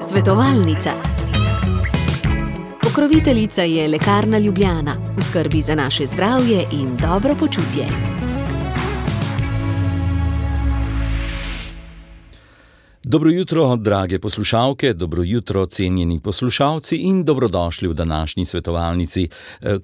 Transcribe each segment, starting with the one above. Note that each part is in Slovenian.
Svetovalnica. Pokroviteljica je Lekarna Ljubljana, v skrbi za naše zdravje in dobro počutje. Dobro jutro, drage poslušalke, dobro jutro, cenjeni poslušalci in dobrodošli v današnji svetovalnici.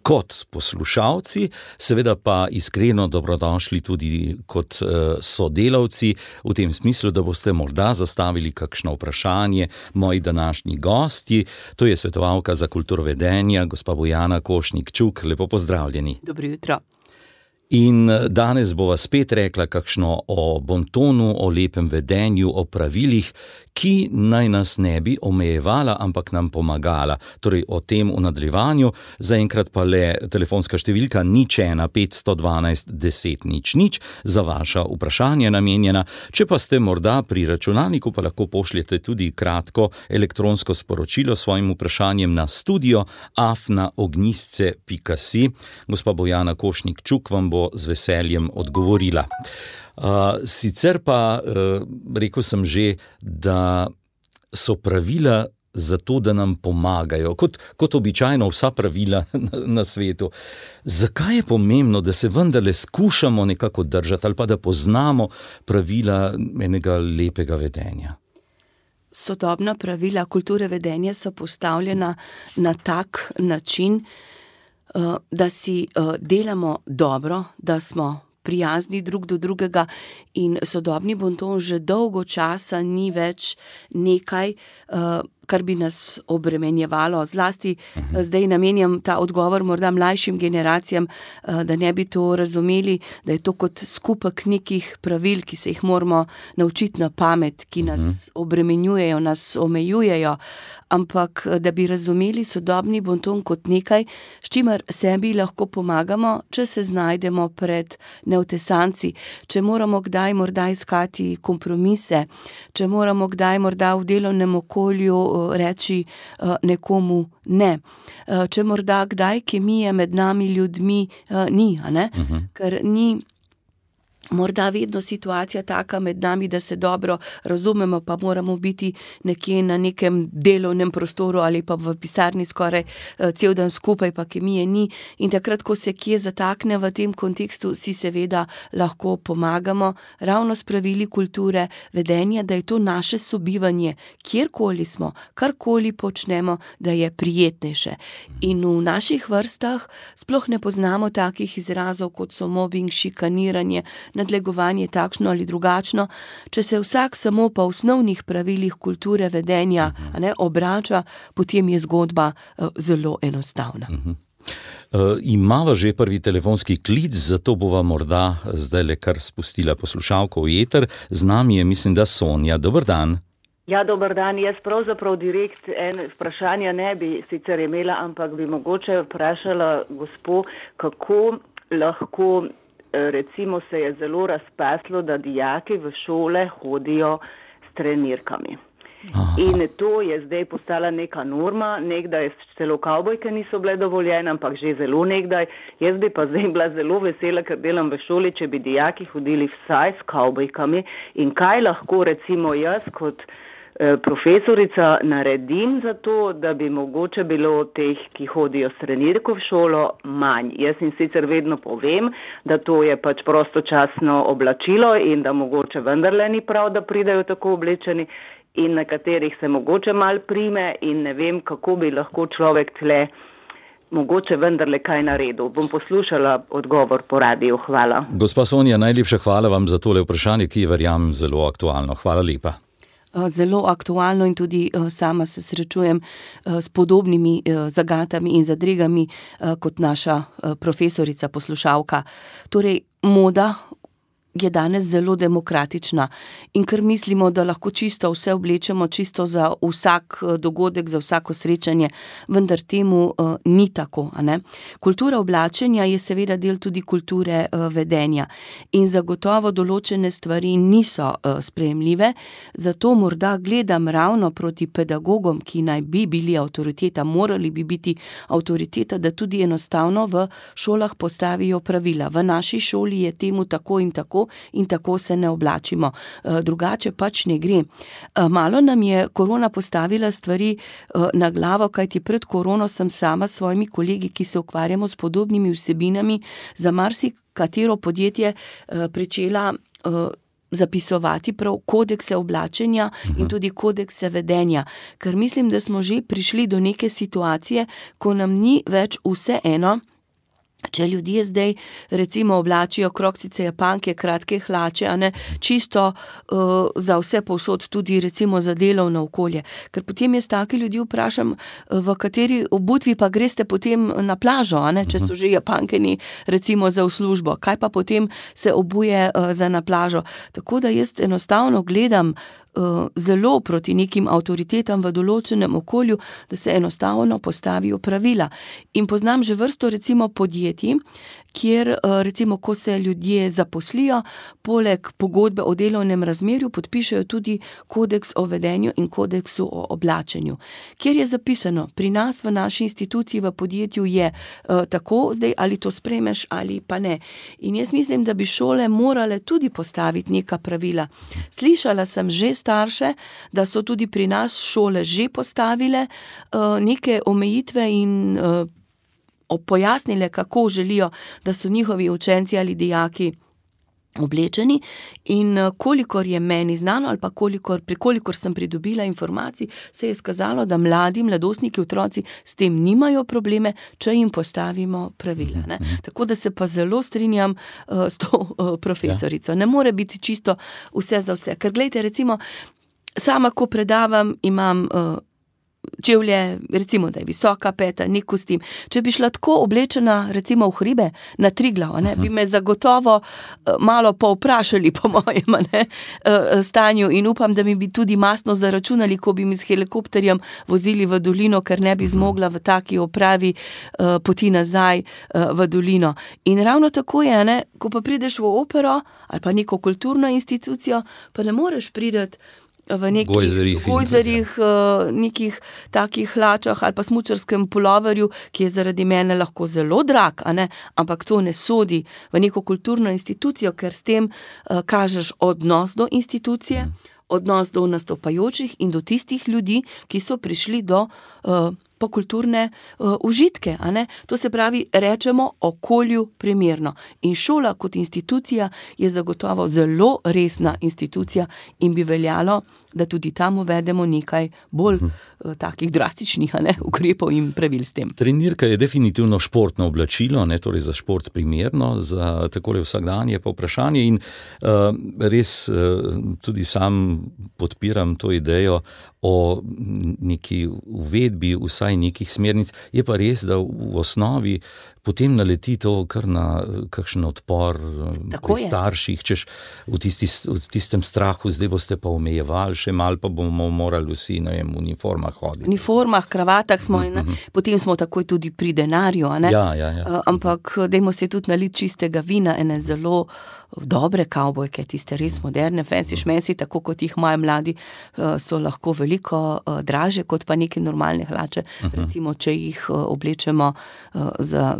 Kot poslušalci, seveda pa iskreno dobrodošli tudi kot sodelavci, v tem smislu, da boste morda zastavili kakšno vprašanje moji današnji gostji. To je svetovalka za kulturo vedenja, gospa Bojana Košnik-Čuk. Lepo pozdravljeni. Dobro jutro. In danes bova spet rekla kakšno o bontonu, o lepem vedenju, o pravilih, ki naj nas ne bi omejevala, ampak nam pomagala. Torej o tem v nadaljevanju. Zaenkrat pa le telefonska številka 01 512 10 00 za vaša vprašanja namenjena. Če pa ste morda pri računalniku, pa lahko pošljete tudi kratko elektronsko sporočilo s svojim vprašanjem na studio@ognjisce.si. Gospa Bojana Košnik-Čuk vam bo z veseljem odgovorila. Sicer pa rekel sem že, da so pravila zato, da nam pomagajo, kot običajno vsa pravila na svetu. Zakaj je pomembno, da se vendarle skušamo nekako držati ali pa da poznamo pravila enega lepega vedenja? Sodobna pravila kulture vedenja so postavljena na tak način, da si delamo dobro, da smo prijazni drug do drugega, in sodobni bonton že dolgo časa ni več nekaj, kar bi nas obremenjevalo. Zlasti zdaj namenjam ta odgovor morda mlajšim generacijam, da ne bi to razumeli, da je to kot skupek nekih pravil, ki se jih moramo naučiti na pamet, ki nas obremenjujejo, nas omejujejo, ampak da bi razumeli sodobni bonton kot nekaj, s čimer sebi lahko pomagamo, če se znajdemo pred neotesanci, če moramo kdaj morda iskati kompromise, če moramo kdaj morda v delovnem okolju reči nekomu ne, če morda kdaj kemije med nami ljudmi ni, ker ni morda vedno situacija taka med nami, da se dobro razumemo, pa moramo biti nekje na nekem delovnem prostoru ali pa v pisarni skoraj cel dan skupaj, pa kemije ni. In takrat, ko se kje zatakne v tem kontekstu, si seveda lahko pomagamo ravno s pravili kulture vedenja, da je to naše sobivanje, kjerkoli smo, karkoli počnemo, da je prijetnejše. In v naših vrstah sploh ne poznamo takih izrazov, kot so mobbing, šikaniranje, nadlegovanje takšno ali drugačno. Če se vsak samo po osnovnih pravilih kulture vedenja obrača, potem je zgodba zelo enostavna. Imava že prvi telefonski klic, zato bova morda zdajle kar spustila poslušalko v eter. Z nami je, mislim, da Sonja. Dober dan. Ja, dober dan. Jaz pravzaprav direkt vprašanja ne bi sicer imela, ampak bi mogoče vprašala gospo, kako lahko, recimo se je zelo razpaslo, da dijaki v šole hodijo s trenirkami. Aha. In to je zdaj postala neka norma, nekdaj celo kavbojke niso bile dovoljene, ampak že zelo nekdaj. Jaz bi pa zdaj bila zelo vesela, ker delam v šoli, če bi dijaki hodili vsaj s kavbojkami, in kaj lahko recimo jaz kot profesorica naredim za to, da bi mogoče bilo teh, ki hodijo s trenirko v šolo, manj. Jaz jim sicer vedno povem, da to je pač prostočasno oblačilo in da mogoče vendarle ni prav, da pridejo tako oblečeni, in na katerih se mogoče mal prime, in ne vem, kako bi lahko človek tle mogoče vendarle kaj naredil. Bom poslušala odgovor po radiju. Hvala. Gospa Sonja, najlepša hvala vam za tole vprašanje, ki je, verjamem, zelo aktualno. Hvala lepa. Zelo aktualno, in tudi sama se srečujem s podobnimi zagatami in zadregami kot naša profesorica, poslušalka. Torej, moda je danes zelo demokratična, in ker mislimo, da lahko čisto vse oblečemo, čisto za vsak dogodek, za vsako srečanje, vendar temu ni tako, Kultura oblačenja je seveda del tudi kulture vedenja, in zagotovo določene stvari niso sprejemljive, zato morda gledam ravno proti pedagogom, ki naj bi bili avtoriteta, morali bi biti avtoriteta, da tudi enostavno v šolah postavijo pravila. V naši šoli je temu tako in tako, tako in tako se ne oblačimo. Drugače pač ne gre. Malo nam je korona postavila stvari na glavo, kajti pred korono sem sama s svojimi kolegi, ki se ukvarjamo s podobnimi vsebinami, za marsikatero podjetje pričela zapisovati prav kodekse oblačenja in tudi kodekse vedenja. Ker mislim, da smo že prišli do neke situacije, ko nam ni več vseeno, če ljudje zdaj recimo oblačijo kroksice, japanke, kratke hlače, a ne, čisto za vse povsod, tudi recimo za delovno okolje. Ker potem jaz take ljudi vprašam, v kateri obutvi pa greste potem na plažo, a ne, če so že japankeni recimo za v službo. Kaj pa potem se obuje za na plažo? Tako da jaz enostavno gledam zelo proti nekim avtoritetam v določenem okolju, da se enostavno postavijo pravila. In poznam že vrsto recimo podjetij, kjer recimo, ko se ljudje zaposlijo, poleg pogodbe o delovnem razmerju podpišejo tudi kodeks o vedenju in kodeksu o oblačenju. Kjer je zapisano, pri nas v naši instituciji v podjetju je tako, zdaj ali to sprejmeš ali pa ne. In jaz mislim, da bi šole morale tudi postaviti neka pravila. Slišala sem že starše, da so tudi pri nas šole že postavile neke omejitve in pojasnile, kako želijo, da so njihovi učenci ali dijaki oblečeni, in kolikor je meni znano ali pa kolikor sem pridobila informacij, se je skazalo, da mladostniki, otroci s tem nimajo probleme, če jim postavimo pravila. Ne? Tako da se pa zelo strinjam s to profesorico. Ne more biti čisto vse za vse. Ker glejte, recimo, sama ko predavam, imam čevlje, recimo, da je visoka peta, nek kostim. Če bi šla tako oblečena, recimo v hribe, na Triglav, ne, bi me zagotovo malo povprašali po mojem stanju in upam, da mi bi tudi mastno zaračunali, ko bi mi s helikopterjem vozili v dolino, ker ne bi zmogla v taki opravi poti nazaj v dolino. In ravno tako je, ne, ko pa prideš v opero ali pa neko kulturno institucijo, pa ne moreš priti v nekih gojzerih, nekih takih hlačah ali pa smučarskem puloverju, ki je zaradi mene lahko zelo drag, a ne? Ampak to ne sodi v neko kulturno institucijo, ker s tem kažeš odnos do institucije, odnos do nastopajočih in do tistih ljudi, ki so prišli do kulturne užitke, a ne? To se pravi, rečemo okolju primerno. In šola kot institucija je zagotovo zelo resna institucija in bi veljalo, da tudi tam uvedemo nekaj bolj takih drastičnih, a ne, ukrepov in pravil s tem. Trenirka je definitivno športno oblačilo, ne, torej za šport primerno, za takole vsakdanje povprašanje in res tudi sam podpiram to idejo o neki uvedbi vsaj nekih smernic. Je pa res, da v osnovi potem naleti to kar na kakšen odpor pri starših, češ v tistem strahu, zdaj boste pa omejevali, še malo pa bomo morali vsi, ne vem, v uniformah hoditi. V uniformah, kravatah smo, potem smo takoj tudi pri denarju, a ne? Ja. Ampak dajmo se tudi naliti čistega vina, ene zelo dobre kavbojke, tiste res moderne, fancy šmenci, tako kot jih moji mladi, so lahko veliko draže kot pa neke normalne hlače, recimo, če jih oblečemo za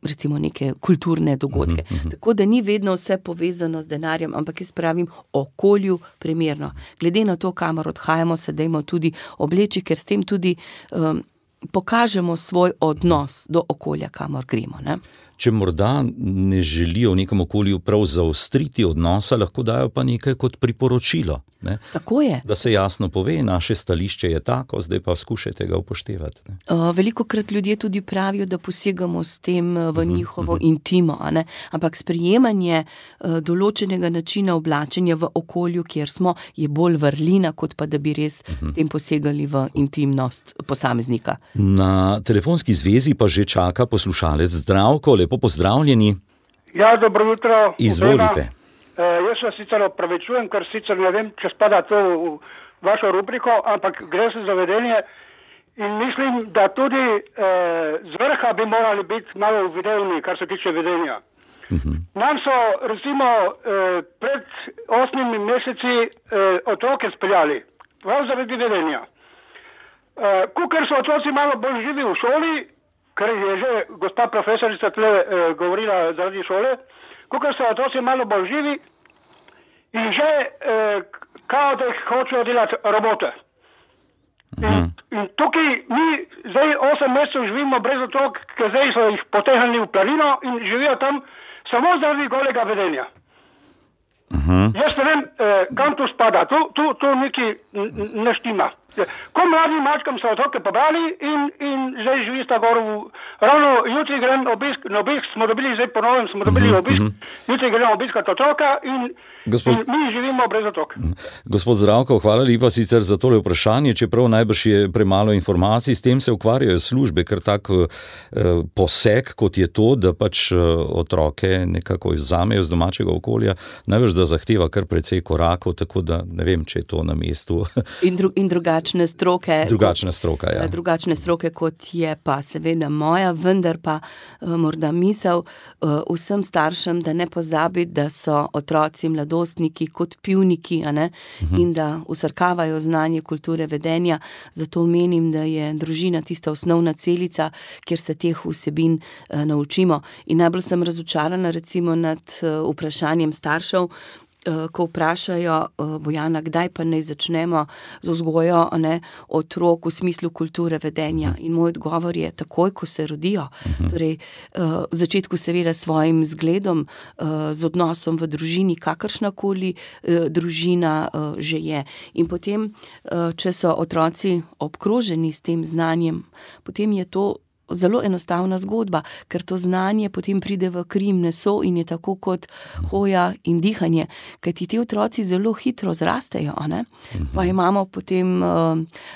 recimo neke kulturne dogodke. Tako da ni vedno vse povezano z denarjem, ampak jaz pravim okolju primerno. Glede na to, kamor odhajamo, se dajmo tudi obleči, ker s tem tudi pokažemo svoj odnos do okolja, kamor gremo, ne? Če morda ne želijo v nekem okolju prav zaostriti odnosa, lahko dajo pa nekaj kot priporočilo. Ne? Tako je. Da se jasno pove, naše stališče je tako, zdaj pa skušajte ga upoštevati. Ne? Velikokrat ljudje tudi pravijo, da posegamo s tem v njihovo intimo, a ne? Ampak sprejemanje določenega načina oblačenja v okolju, kjer smo, je bolj vrlina, kot pa da bi res s tem posegali v intimnost posameznika. Na telefonski zvezi pa že čaka poslušalec Zdravko. Lepo pozdravljeni. Ja, dobro jutro. Izvolite. Jaz se sicer opravičujem, ker sicer ne vem, če spada to v vašo rubriko, ampak gre se za vedenje in mislim, da tudi z vrha bi morali biti malo videvni, kar se tiče vedenja. Nam so recimo pred 8 meseci otroke speljali, prav zaradi vedenja. Kukor so otroci malo bolj živi v šoli, ker je že gospa profesorica tle govorila zaradi šole, kakor so otroci malo bolj živi, in že kao da jih hočejo delati robote. In tukaj mi zdaj 8 mesecev živimo brez otrok, ker zdaj so jih potehnili v planino in živijo tam samo zaradi golega vedenja. Jaz ne vem, kam tu spada, tu neki ne štima. Ko mladim mačkam so otroke pobrali in zdaj živi sta gor ravno jutri grem na obisk, smo dobili zdaj ponovno, jutri grem obiskat otroka in mi živimo brez otrok. Gospod Zdravko, hvala lepa sicer za tole vprašanje, čeprav najbrž je premalo informacij, s tem se ukvarjajo službe, ker tak poseg, kot je to, da pač otroke nekako izzamejo z domačega okolja, najbrž da zahteva kar precej korakov, tako da ne vem, če je to na mestu. In drugačne stroke. Drugačne stroke, kot je pa seveda moja, vendar pa morda misel vsem staršem, da ne pozabi, da so otroci, mladostniki kot pivniki, a ne, in da vsrkavajo znanje kulture vedenja. Zato menim, da je družina tista osnovna celica, kjer se teh vsebin naučimo. In najbolj sem razočarana recimo nad vprašanjem staršev, ko vprašajo Bojana, kdaj pa naj začnemo z vzgojo otrok v smislu kulture vedenja. In moj odgovor je takoj, ko se rodijo. Torej, v začetku seveda s svojim zgledom, z odnosom v družini, kakršnakoli družina že je. In potem, če so otroci obkroženi s tem znanjem, potem je to zelo enostavna zgodba, ker to znanje potem pride v kri in meso in je tako kot hoja in dihanje, kajti ti otroci zelo hitro zrastejo, Pa imamo potem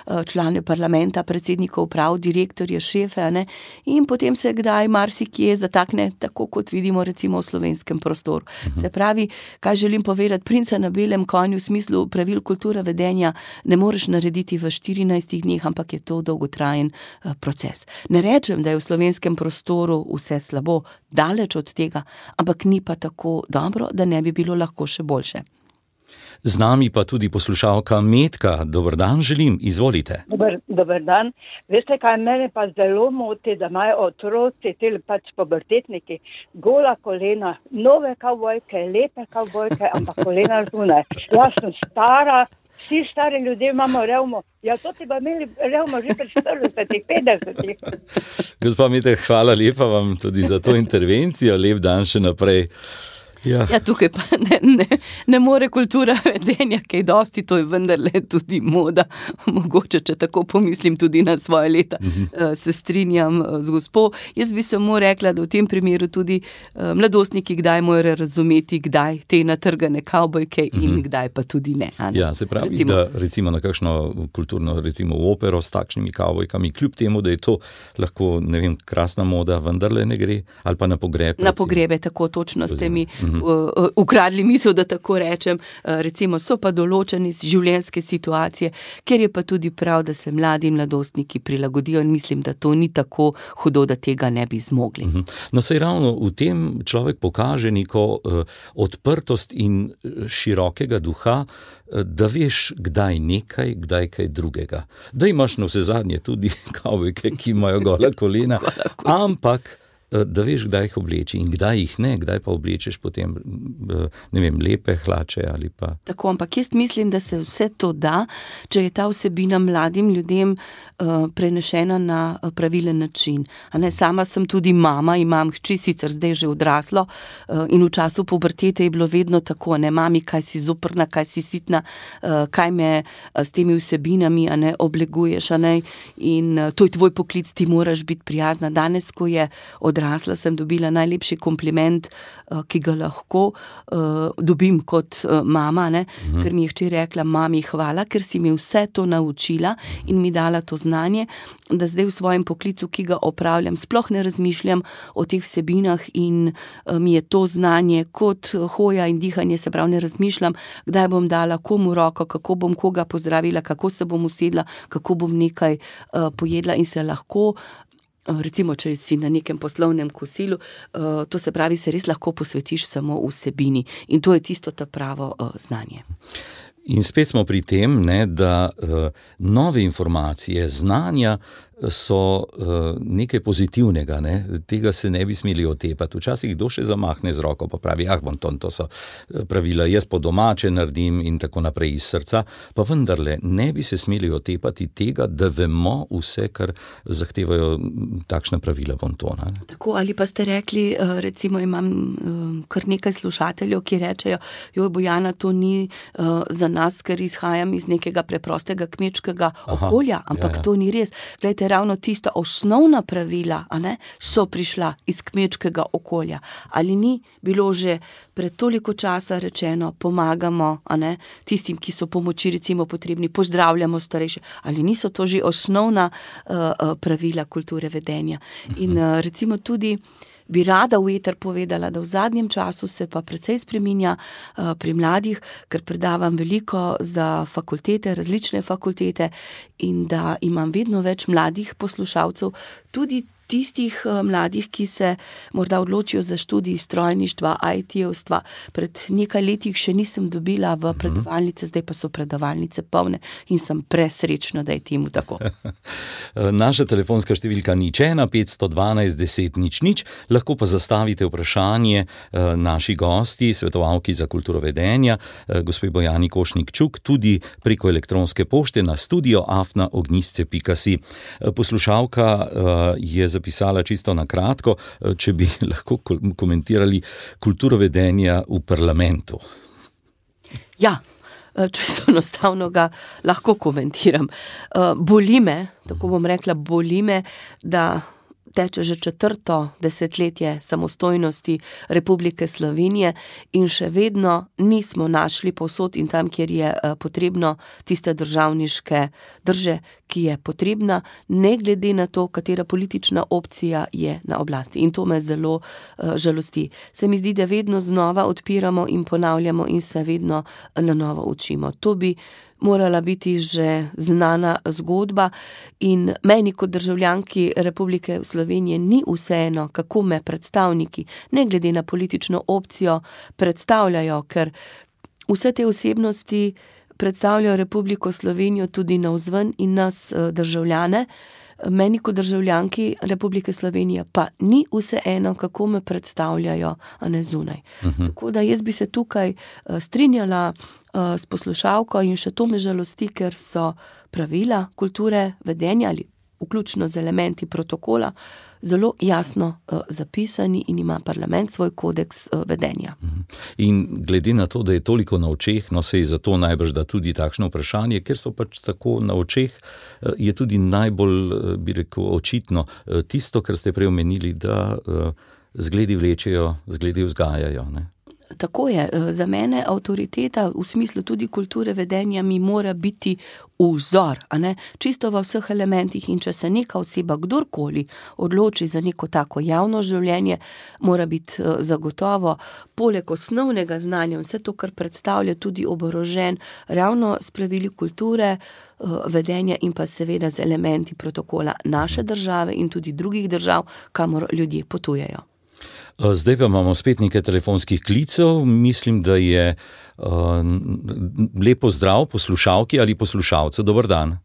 člane parlamenta, predsednikov uprav, direktorje, šefe, in potem se kdaj marsikje zatakne, tako kot vidimo recimo v slovenskem prostoru. Se pravi, kaj želim povedati, princa na belem konju v smislu pravil kulture vedenja ne moreš narediti v 14 dneh, ampak je to dolgotrajen proces. Ne rečem, da je v slovenskem prostoru vse slabo, daleč od tega, ampak ni pa tako dobro, da ne bi bilo lahko še boljše. Z nami pa tudi poslušalka Metka. Dober dan želim, izvolite. Dober dan. Veste, kaj mene pa zelo moti, da imajo otroci, pač pubertetniki, gola kolena, nove kavbojke, lepe kavbojke, ampak kolena zunaj. Jaz sem stara, vsi stari ljudje imamo revmo. Ja, to ti pa imeli revmo že pred 40-50. Gospa Metek, hvala lepa vam tudi za to intervencijo. Lep dan še naprej. Ja, tukaj pa ne more kultura vedenja kaj dosti, to je vendarle tudi moda. Mogoče, če tako pomislim tudi na svoje leta, se strinjam z gospo. Jaz bi samo rekla, da v tem primeru tudi mladostniki kdaj morajo razumeti, kdaj te natrgane kavbojke in kdaj pa tudi ne. Ja, se pravi, da recimo na kakšno kulturno, recimo v opero s takšnimi kavbojkami, kljub temu, da je to lahko, ne vem, krasna moda, vendarle ne gre, ali pa na pogreb. Na pogrebe, tako točno ste mi ukradli misel, da tako rečem. Recimo so pa določene življenjske situacije, kjer je pa tudi prav, da se mladi in mladostniki prilagodijo in mislim, da to ni tako hudo, da tega ne bi zmogli. No, saj ravno v tem človek pokaže neko odprtost in širokega duha, da veš, kdaj nekaj, kdaj kaj drugega. Da imaš na vse zadnje tudi kavbojke, ki imajo gola kolena, ampak da veš, kdaj jih obleči in kdaj jih ne, kdaj pa oblečeš potem, ne vem, lepe hlače ali pa... Tako, ampak jaz mislim, da se vse to da, če je ta vsebina mladim ljudem prenešena na pravilen način. Sama sem tudi mama, imam hči, sicer zdaj že odraslo, in v času pubertete je bilo vedno tako, mami, kaj si zoprna, kaj si sitna, kaj me s temi vsebinami obleguješ, in to je tvoj poklic, ti moraš biti prijazna. Danes, ko je odrasla, sem dobila najlepši kompliment, ki ga lahko dobim kot mama, ker mi je hči rekla, mami, hvala, ker si mi vse to naučila in mi dala to znanje, da zdaj v svojem poklicu, ki ga opravljam, sploh ne razmišljam o teh vsebinah in mi je to znanje kot hoja in dihanje, se pravi, ne razmišljam, kdaj bom dala komu roko, kako bom koga pozdravila, kako se bom usedla, kako bom nekaj pojedla in se lahko, recimo, če si na nekem poslovnem kosilu, to se pravi, se res lahko posvetiš samo vsebini in to je tisto ta pravo znanje. In spet smo pri tem, da nove informacije, znanja so nekaj pozitivnega, ne? Tega se ne bi smeli otepati. Včasih kdo še zamahne z roko, pa pravi, bonton, to so pravila, jaz po domače naredim in tako naprej iz srca, pa vendarle ne bi se smeli otepati tega, da vemo vse, kar zahtevajo takšna pravila bontona. Ne? Tako, ali pa ste rekli, recimo imam kar nekaj slušateljev, ki rečejo, Bojana, to ni za nas, ker izhajam iz nekega preprostega kmečkega okolja, ampak to ni res. Glejte, ravno tista osnovna pravila, so prišla iz kmečkega okolja. Ali ni bilo že pred toliko časa rečeno, pomagamo, tistim, ki so pomoči recimo potrebni, pozdravljamo starejše, ali niso to že osnovna pravila kulture vedenja. In recimo tudi bi rada v eter povedala, da v zadnjem času se pa precej spreminja pri mladih, ker predavam veliko za fakultete, različne fakultete, in da imam vedno več mladih poslušalcev, tudi tistih mladih, ki se morda odločijo za študij strojništva, IT-ovstva. Pred nekaj letih še nisem dobila v predavalnice, zdaj pa so predavalnice polne in sem presrečna, da je temu tako. Naša telefonska številka 01512 10 00, lahko pa zastavite vprašanje naši gosti, svetovalki za kulturo vedenja, gospe Bojani Košnik-Čuk, tudi preko elektronske pošte na studio@ognisce.si. Poslušalka je zapisala čisto na kratko, če bi lahko komentirali kulturo vedenja v parlamentu. Ja, čisto enostavno ga lahko komentiram. Boli me, tako bom rekla, da teče že 4. desetletje samostojnosti Republike Slovenije in še vedno nismo našli povsod in tam, kjer je potrebno, tiste državniške drže, ki je potrebna, ne glede na to, katera politična opcija je na oblasti. In to me zelo žalosti. Se mi zdi, da vedno znova odpiramo in ponavljamo in se vedno na novo učimo. To bi morala biti že znana zgodba in meni kot državljanki Republike Slovenije ni vseeno, kako me predstavniki, ne glede na politično opcijo, predstavljajo, ker vse te osebnosti predstavljajo Republiko Slovenijo tudi navzven in nas državljane. Meni kot državljanki Republike Slovenije pa ni vseeno, kako me predstavljajo, a ne zunaj. Tako da jaz bi se tukaj strinjala s poslušalko in še to me žalosti, ker so pravila kulture vedenja ali vključno z elementi protokola zelo jasno zapisani in ima parlament svoj kodeks vedenja. In glede na to, da je toliko na očeh, se je zato najbrž da tudi takšno vprašanje, ker so pač tako na očeh, je tudi najbolj, bi rekel, očitno tisto, kar ste prej omenili, da zgledi vlečejo, zgledi vzgajajo, ne? Tako je. Za mene avtoriteta v smislu tudi kulture vedenja mi mora biti vzor, čisto v vseh elementih, in če se neka oseba, kdorkoli, odloči za neko tako javno življenje, mora biti zagotovo poleg osnovnega znanja vse to, kar predstavlja, tudi oborožen ravno s pravili kulture vedenja in pa seveda z elementi protokola naše države in tudi drugih držav, kamor ljudje potujejo. Zdaj pa imamo spet nekaj telefonskih klicev. Mislim, da je lepo zdrav poslušalki ali poslušalcu. Dober dan.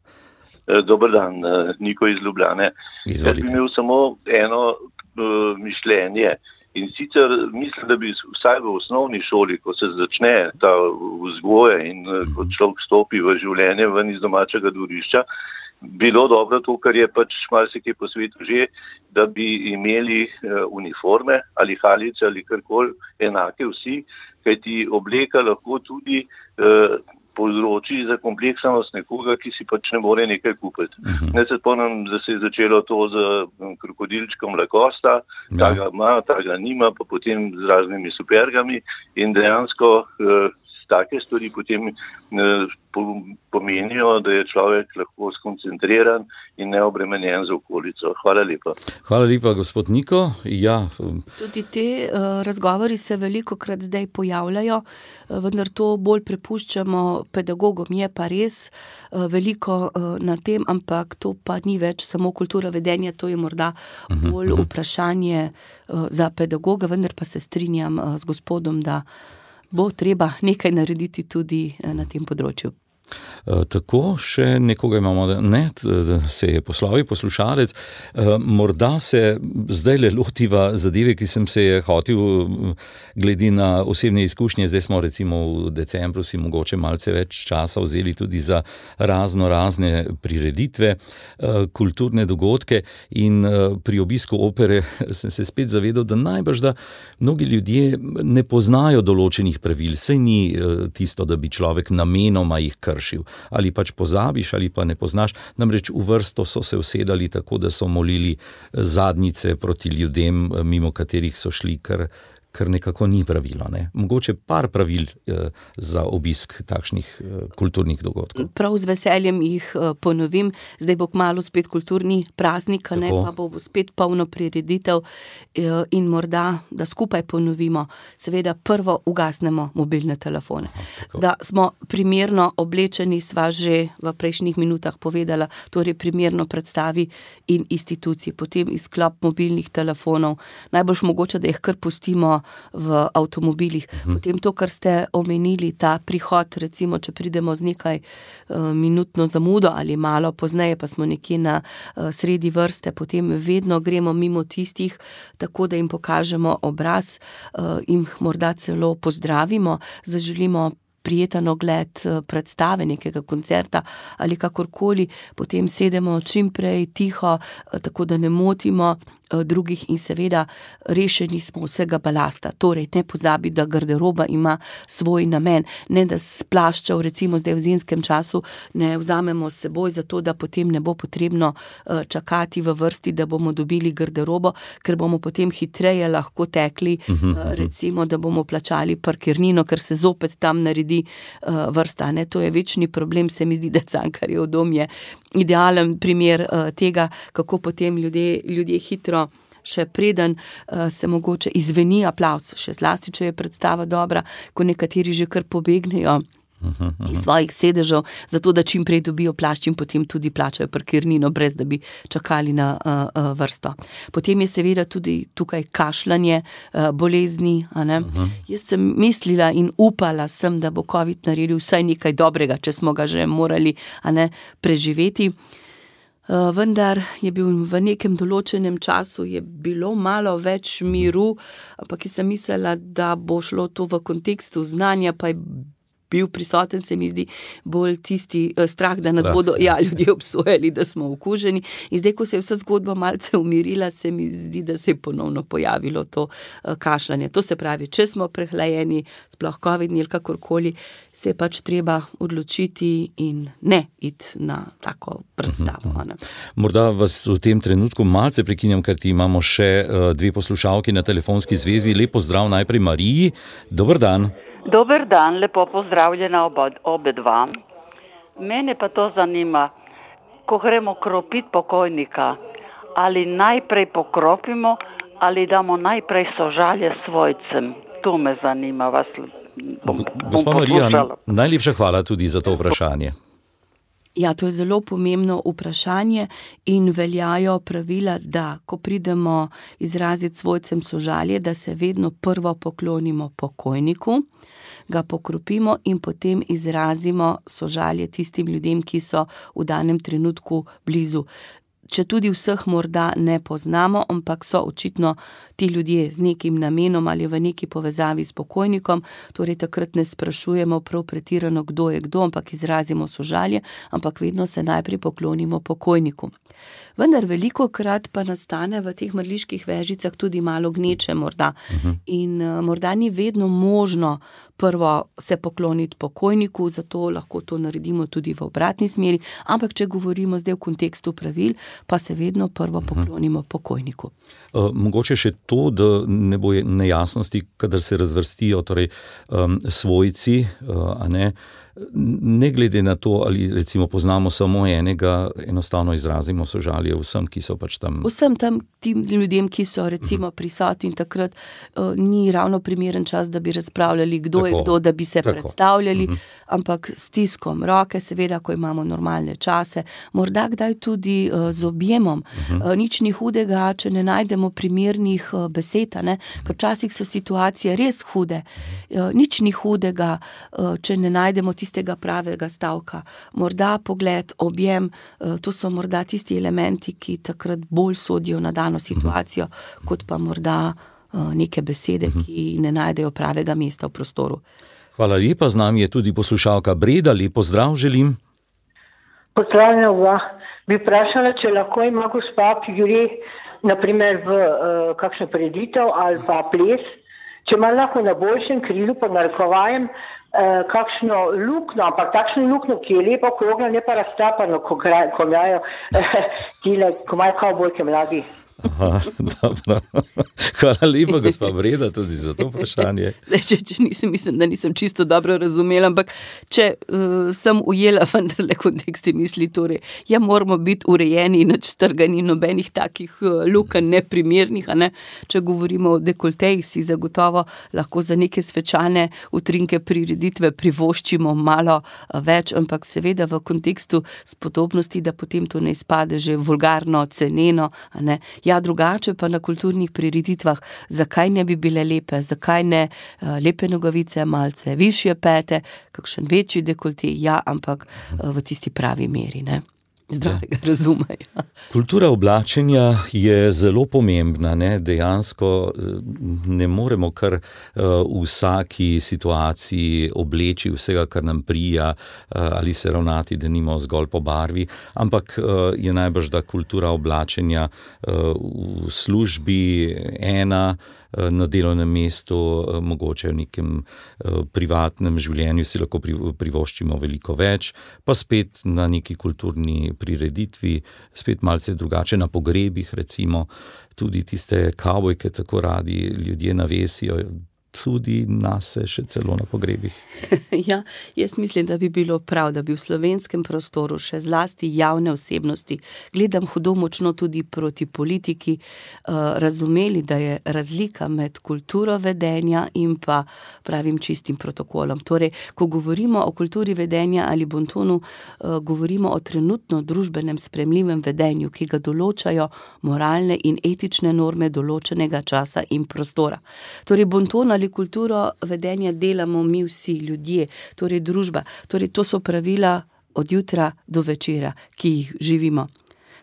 Dober dan, Niko iz Ljubljane. Izvolite. Jaz bi imel samo eno mišljenje. In sicer mislim, da bi vsaj v osnovni šoli, ko se začne ta vzgoja in ko človek stopi v življenje ven iz domačega dvorišča, bilo dobro to, kar je pač marsikaj po svetu že, da bi imeli uniforme ali halice ali karkoli enake vsi, kajti obleka lahko tudi povzroči za kompleksnost nekoga, ki si pač ne more nekaj kupiti. Ne se spomnim, da se je začelo to z krokodilčkom Lacosta, ta ga ima, ta ga nima, pa potem z raznimi supergami in dejansko take stvari potem pomenijo, da je človek lahko skoncentriran in neobremenjen z okolico. Hvala lepa. Hvala lepa, gospod Niko. Ja. Tudi te razgovori se velikokrat zdaj pojavljajo, vendar to bolj prepuščamo pedagogom. Je pa res veliko na tem, ampak to pa ni več samo kultura vedenja, to je morda bolj vprašanje za pedagoga, vendar pa se strinjam z gospodom, da bo treba nekaj narediti tudi na tem področju. Tako, še nekoga imamo, ne, se je poslovil poslušalec. Morda se zdaj le lotiva zadeve, ki sem se je hotel glede na osebne izkušnje. Zdaj smo recimo v decembru si mogoče malce več časa vzeli tudi za razne prireditve, kulturne dogodke in pri obisku opere sem se spet zavedal, da najbrž, da mnogi ljudje ne poznajo določenih pravil. Saj ni tisto, da bi človek namenoma jih kršil. Ali pač pozabiš, ali pa ne poznaš. Namreč v vrsto so se usedali tako, da so molili zadnjice proti ljudem, mimo katerih so šli, kar nekako ni pravilo. Ne? Mogoče par pravil za obisk takšnih kulturnih dogodkov. Prav z veseljem jih ponovim. Zdaj bo kmalu spet kulturni praznik, ne, pa bo spet polno prireditev in morda, da skupaj ponovimo. Seveda prvo ugasnemo mobilne telefone. Da smo primerno oblečeni, sva že v prejšnjih minutah povedala, torej primerno predstavi in instituciji. Potem izklop mobilnih telefonov. Najboljš mogoče, da jih kar pustimo v avtomobilih. Potem to, kar ste omenili, ta prihod, recimo, če pridemo z nekaj minutno zamudo ali malo pozneje, pa smo nekje na sredi vrste, potem vedno gremo mimo tistih, tako da jim pokažemo obraz, jim morda celo pozdravimo, zaželimo prijeten ogled predstave, nekega koncerta ali kakorkoli, potem sedemo čim prej tiho, tako da ne motimo drugih in seveda rešeni smo vsega balasta. Torej, ne pozabi, da garderoba ima svoj namen. Ne, da s plaščev, recimo zdaj v zimskem času, ne vzamemo s seboj, zato da potem ne bo potrebno čakati v vrsti, da bomo dobili garderobo, ker bomo potem hitreje lahko tekli, recimo, da bomo plačali parkirnino, ker se zopet tam naredi vrsta. Ne? To je večni problem, se mi zdi, da Cankarjev dom je idealen primer tega, kako potem ljudje hitro še preden se mogoče izveni aplavz, še zlasti, če je predstava dobra, ko nekateri že kar pobegnejo iz svojih sedežev, zato da čim prej dobijo plašč in potem tudi plačajo parkirnino, brez da bi čakali na vrsto. Potem je seveda tudi tukaj kašljanje, bolezni. Jaz sem mislila in upala sem, da bo COVID naredil vsaj nekaj dobrega, če smo ga že morali preživeti. Vendar je bil v nekem določenem času je bilo malo več miru, ampak jaz sem mislila, da bo šlo to v kontekstu znanja, pa je bil prisoten, se mi zdi, bolj tisti strah, da nas bodo ljudje obsojali, da smo okuženi. In zdaj, ko se je vsa zgodba malce umirila, se mi zdi, da se je ponovno pojavilo to kašljanje. To se pravi, če smo prehlajeni, sploh covidni ali kakorkoli, se je pač treba odločiti in ne iti na tako predstavo. Morda vas v tem trenutku malce prekinjam, ker ti imamo še dve poslušalki na telefonski zvezi. Lep pozdrav najprej Mariji. Dober dan. Dober dan, lepo pozdravljena obe dva. Mene pa to zanima, ko gremo kropiti pokojnika, ali najprej pokropimo, ali damo najprej sožalje svojcem. To me zanima, vas bom Gospa Marija, najlepša hvala tudi za to vprašanje. Ja, to je zelo pomembno vprašanje in veljajo pravila, da ko pridemo izraziti svojcem sožalje, da se vedno prvo poklonimo pokojniku, ga pokropimo in potem izrazimo sožalje tistim ljudem, ki so v danem trenutku blizu. Če tudi vseh morda ne poznamo, ampak so očitno ti ljudje z nekim namenom ali v neki povezavi s pokojnikom, torej takrat ne sprašujemo prav pretirano, kdo je kdo, ampak izrazimo sožalje, ampak vedno se najprej poklonimo pokojniku. Vendar velikokrat pa nastane v teh mrliških vežicah tudi malo gneče morda. In morda ni vedno možno prvo se pokloniti pokojniku, zato lahko to naredimo tudi v obratni smeri, ampak če govorimo zdaj v kontekstu pravil, pa se vedno prvo poklonimo pokojniku. Mogoče še to, da ne bo nejasnosti, kadar se razvrstijo torej, svojci, ne glede na to, ali recimo poznamo samo enega, enostavno izrazimo sožalje vsem, ki so pač tam. Vsem tam tim ljudem, ki so recimo prisotni, takrat ni ravno primeren čas, da bi razpravljali, kdo je kdo, da bi se predstavljali, ampak s stiskom roke, seveda, ko imamo normalne čase, morda kdaj tudi z objemom. Nič ni hudega, če ne najdemo primernih besed, ker včasih so situacije res hude. Nič ni hudega, če ne najdemo tistega pravega stavka. Morda pogled, objem, to so morda tisti elementi, ki takrat bolj sodijo na dano situacijo, kot pa morda neke besede, ki ne najdejo pravega mesta v prostoru. Hvala lepa, z nami je tudi poslušalka Breda, lep pozdrav želim. Pozdravljena oba. Bi vprašala, če lahko ima gospa, ki gre naprimer v kakšno prireditev ali pa ples, če ima lahko na boljšem krilu, pa narekovajem, kakšno lukno, ampak takšno lukno, ki je lepo okrogla, ne pa raztrapano, ko imajo kavbojke mladi. Aha, dobro. Hvala lepa, gospa Breda, tudi za to vprašanje. Mislim, da nisem čisto dobro razumela, ampak če sem ujela vendarle konteksti misli, torej, moramo biti urejeni in strgani, nobenih takih lukenj neprimernih, ne? Če govorimo o dekoltejih, si zagotovo lahko za neke svečane utrinke prireditve privoščimo malo več, ampak seveda v kontekstu spodobnosti, da potem to ne izpade že vulgarno, ceneno, ne? Ja, drugače pa na kulturnih prireditvah, zakaj ne bi bile lepe, zakaj ne lepe nogavice, malce višje pete, kakšen večji dekolti, ja, ampak v tisti pravi meri, ne? Zdravega razuma. Ja. Kultura oblačenja je zelo pomembna, ne? Dejansko ne moremo kar v vsaki situaciji obleči vsega, kar nam prija, ali se ravnati, da nimo zgolj po barvi, ampak je najbrž, da kultura oblačenja v službi ena, na delovnem mestu, mogoče v nekem privatnem življenju si lahko privoščimo veliko več, pa spet na neki kulturni prireditvi, spet malce drugače, na pogrebih recimo, tudi tiste kavbojke tako radi ljudje navesijo, tudi nase še celo na pogrebih. Ja, jaz mislim, da bi bilo prav, da bi v slovenskem prostoru še zlasti javne osebnosti, gledam hudo močno tudi proti politiki, razumeli, da je razlika med kulturo vedenja in pa pravim čistim protokolom. Torej, ko govorimo o kulturi vedenja ali bontonu, govorimo o trenutno družbenem sprejemljivem vedenju, ki ga določajo moralne in etične norme določenega časa in prostora. Torej, bonton ali kulturo vedenja delamo mi vsi ljudje, torej družba. Torej, to so pravila od jutra do večera, ki jih živimo.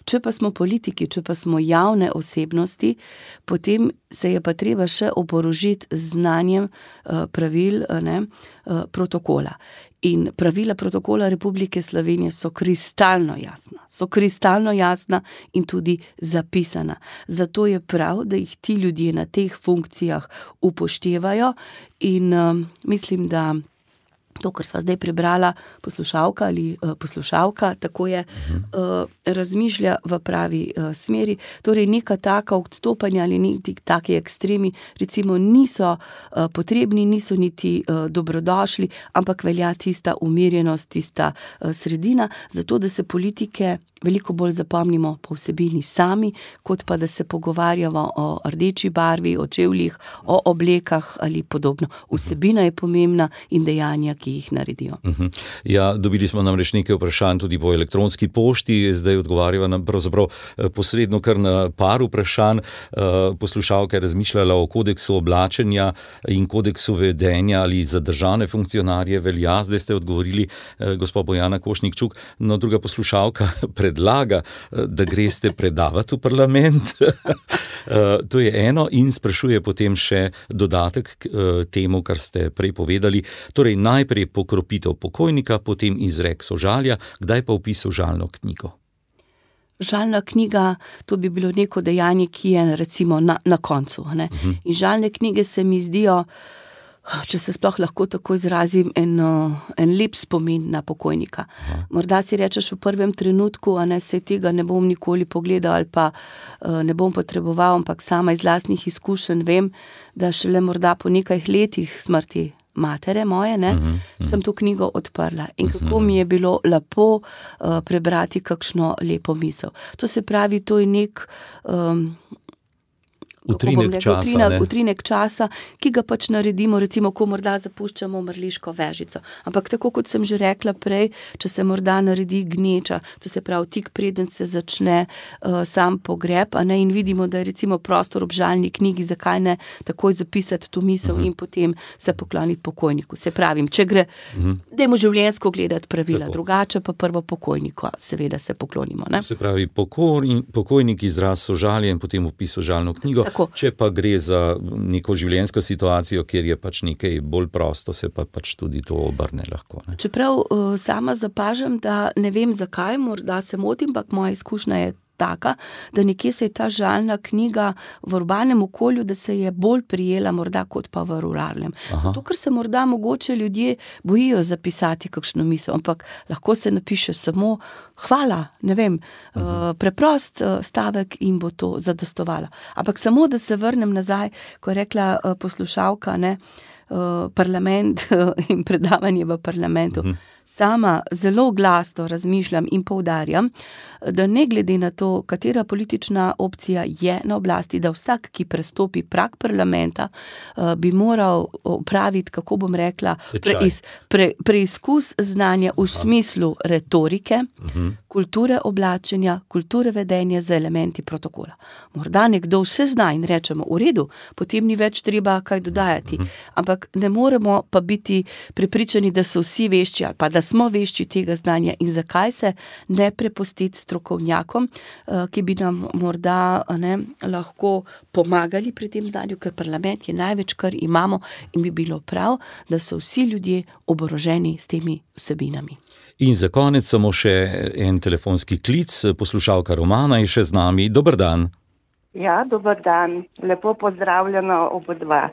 Če pa smo politiki, če pa smo javne osebnosti, potem se je pa treba še oborožiti z znanjem pravil, protokola. In pravila protokola Republike Slovenije so kristalno jasna in tudi zapisana. Zato je prav, da jih ti ljudje na teh funkcijah upoštevajo in mislim, da to, kar sva zdaj prebrala, poslušalka ali poslušalka, tako je, razmišlja v pravi smeri. Torej, neka taka odstopanja ali neki taki ekstremi, recimo, niso potrebni, niso niti dobrodošli, ampak velja tista umirjenost, tista sredina, zato da se politike veliko bolj zapomnimo po vsebini sami, kot pa da se pogovarjamo o rdeči barvi, o čevljih, o oblekah ali podobno. Vsebina je pomembna in dejanja, ki jih naredijo. Ja, dobili smo namreč nekaj vprašanj tudi po elektronski pošti, zdaj odgovarjava nam pravzaprav posredno kar na par vprašanj. Poslušalka je razmišljala o kodeksu oblačenja in kodeksu vedenja ali za državne funkcionarje velja, zdaj ste odgovorili gospa Bojana Košnik-Čuk, no druga poslušalka predlaga, da greste predavati v parlament. To je eno in sprašuje potem še dodatek k temu, kar ste prej povedali. Torej, najprej pokropitev pokojnika, potem izrek sožalja, kdaj pa vpis v žalno knjigo? Žalna knjiga, to bi bilo neko dejanje, ki je recimo na koncu. Ne? In žalne knjige se mi zdijo, če se sploh lahko tako izrazim, en lep spomin na pokojnika. Morda si rečeš v prvem trenutku, saj tega ne bom nikoli pogledal ali pa ne bom potreboval, ampak sama iz lastnih izkušenj vem, da šele morda po nekaj letih smrti matere moje, sem to knjigo odprla. In kako mi je bilo lepo prebrati kakšno lepo misel. To se pravi, to je nek utrinek časa, ki ga pač naredimo, recimo, ko morda zapuščamo mrliško vežico. Ampak tako, kot sem že rekla prej, če se morda naredi gneča, to se pravi tik preden se začne sam pogreb, a ne, in vidimo, da je recimo prostor ob žalni knjigi, zakaj ne takoj zapisati to misel in potem se pokloniti pokojniku. Se pravim, če gre, dajmo življenjsko gledati pravila, drugače pa prvo pokojniku, seveda se poklonimo. Ne? Se pravi, pokojnik izraz sožalja in potem vpis v žalno knjigo. Tako. Če pa gre za neko življenjsko situacijo, kjer je pač nekaj bolj prosto, se pa pač tudi to obrne lahko. Ne? Čeprav sama zapažam, da ne vem zakaj, morda se motim, ampak moja izkušnja je taka, da nekje se je ta žalna knjiga v urbanem okolju, da se je bolj prijela morda kot pa v ruralnem. Zato, ker se morda mogoče ljudje bojijo zapisati kakšno misel, ampak lahko se napiše samo hvala, ne vem, preprost stavek in bo to zadostovalo. Ampak samo, da se vrnem nazaj, ko je rekla poslušalka, ne, parlament in predavanje v parlamentu. Sama zelo glasno razmišljam in poudarjam, da ne glede na to, katera politična opcija je na oblasti, da vsak, ki prestopi prag parlamenta, bi moral opraviti, kako bom rekla, preizkus znanja v smislu retorike, kulture oblačenja, kulture vedenja z elementi protokola. Morda nekdo vse zna in rečemo, v redu, potem ni več treba kaj dodajati, ampak ne moremo pa biti prepričani, da so vsi vešči ali pa da smo vešči tega znanja in zakaj se ne prepustiti strokovnjakom, ki bi nam morda lahko pomagali pri tem znanju, ker parlament je največ, kar imamo in bi bilo prav, da so vsi ljudje oboroženi s temi vsebinami. In za konec samo še en telefonski klic, poslušalka Romana je še z nami. Dober dan. Ja, dober dan. Lepo pozdravljeno obodva.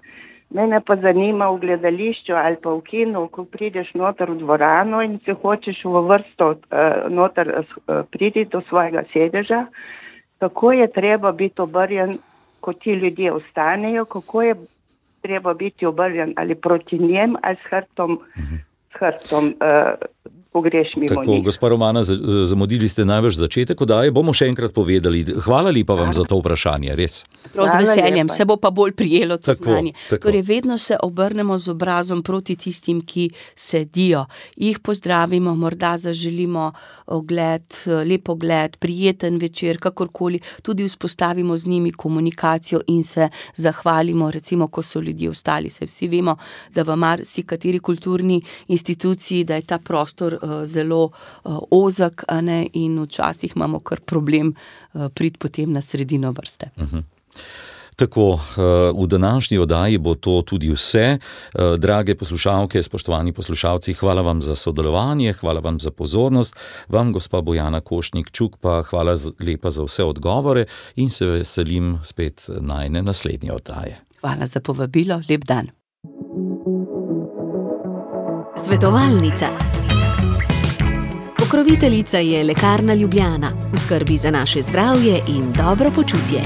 Mene pa zanima v gledališču ali pa v kinu, ko prideš noter v dvorano in se hočeš v vrsto noter priti do svojega sedeža, kako je treba biti obrnjen, ko ti ljudje ostanejo, kako je treba biti obrnjen ali proti njem ali s hrbtom, ko greš mimo Tako, njih. gospa Romana, zamudili ste največ začetek oddaje, bomo še enkrat povedali. Hvala lepa vam za to vprašanje, res. Prav z veseljem, se bo pa bolj prijelo to znanje. Torej, vedno se obrnemo z obrazom proti tistim, ki sedijo. Jih pozdravimo, morda zaželimo lep ogled, prijeten večer, kakorkoli, tudi vzpostavimo z njimi komunikacijo in se zahvalimo, recimo, ko so ljudje ostali. Se vsi vemo, da v marsikateri kulturni instituciji, da je ta prostor zelo ozek, a ne, in včasih imamo kar problem priti potem na sredino vrste. Tako, v današnji oddaji bo to tudi vse. Drage poslušalke, spoštovani poslušalci, hvala vam za sodelovanje, hvala vam za pozornost. Vam, gospa Bojana Košnik-Čuk, pa hvala lepa za vse odgovore in se veselim spet najine naslednje oddaje. Hvala za povabilo, lep dan. Svetovalnica. Pokroviteljica je Lekarna Ljubljana, v skrbi za naše zdravje in dobro počutje.